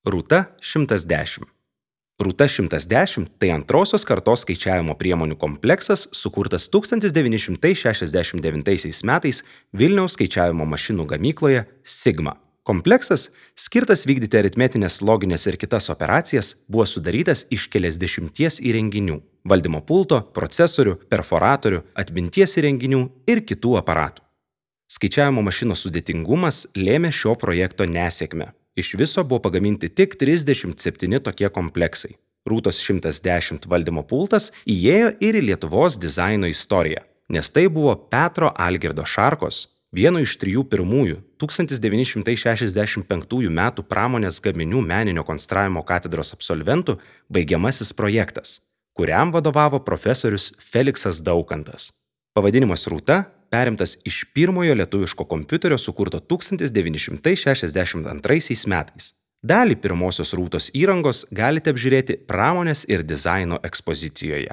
Rūta 110. Rūta 110 tai antrosios kartos skaičiavimo priemonių kompleksas, sukurtas 1969 metais Vilniaus skaičiavimo mašinų gamykloje Sigma. Kompleksas, skirtas vykdyti aritmetinės, loginės ir kitas operacijas, buvo sudarytas iš keliasdešimties įrenginių – valdymo pulto, procesorių, perforatorių, atminties įrenginių ir kitų aparatų. Skaičiavimo mašinos sudėtingumas lėmė šio projekto nesėkmę. Iš viso buvo pagaminti tik 37 tokie kompleksai. Rūtos 110 valdymo pultas įėjo ir į Lietuvos dizaino istoriją, nes tai buvo Petro Algirdo Šarkos, vieno iš 3 pirmųjų 1965 metų pramonės gaminių meninio konstravimo katedros absolventų baigiamasis projektas, kuriam vadovavo profesorius Feliksas Daukantas. Pavadinimas Rūta perimtas iš pirmojo lietuviško kompiuterio sukurto 1962 metais. Dalį pirmosios Rūtos įrangos galite apžiūrėti pramonės ir dizaino ekspozicijoje.